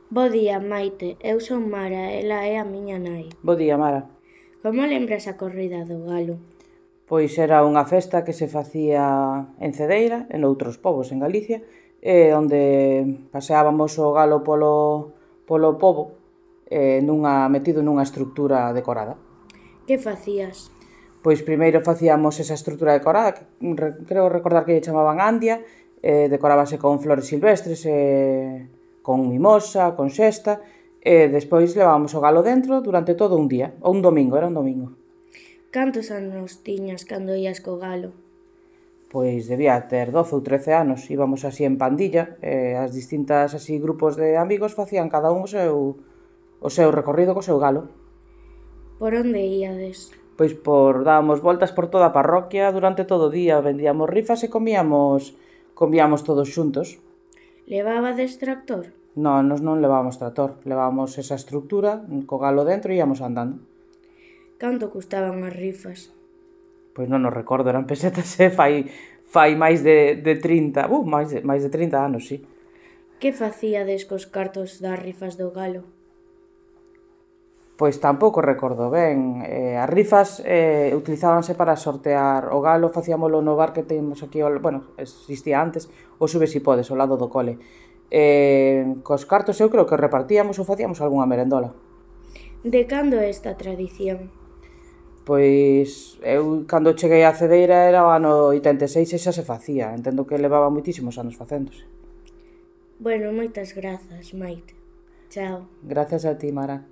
Bo día, Maite. Eu son Mara, ela é a miña nai. Bo día, Mara. Como lembras a corrida do galo? Pois era unha festa que se facía en Cedeira e noutros povos en Galicia, onde paseábamos o galo polo pobo metido nunha estrutura decorada. Que facías? Pois primeiro facíamos esa estrutura decorada, que creo recordar que lle chamaban Andia, decorábase con flores silvestres, con mimosa, con xesta, e despois levábamos o galo dentro durante todo un día, ou un domingo, era un domingo. Cantos anos tiñas cando ías co galo? Pois debía ter 12 ou 13 anos, íbamos así en pandilla, as distintas así grupos de amigos facían cada un o seu recorrido co seu galo. Por onde íades? Pois dábamos voltas por toda a parroquia durante todo o día, vendíamos rifas e comíamos todos xuntos. Levabades tractor? Non, nos non levábamos tractor, levábamos esa estructura, co galo dentro e íamos andando. Canto custaban as rifas? Pois non nos recordo, eran pesetas fai máis de 30, máis de 30 anos, sí. Que facíades cos cartos das rifas do galo? Pois tampouco recordo ben. As rifas utilizábanse para sortear o galo, facíamolo no bar que temos aquí, bueno, existía antes, o Sube si podes, ao lado do cole. Cos cartos eu creo que repartíamos ou facíamos algunha merendola. De cando é esta tradición? Pois eu cando cheguei á Cedeira era o ano 86 e xa se facía. Entendo que levaba moitísimos anos facéndose. Bueno, moitas grazas, Maite. Chao. Grazas a ti, Mara.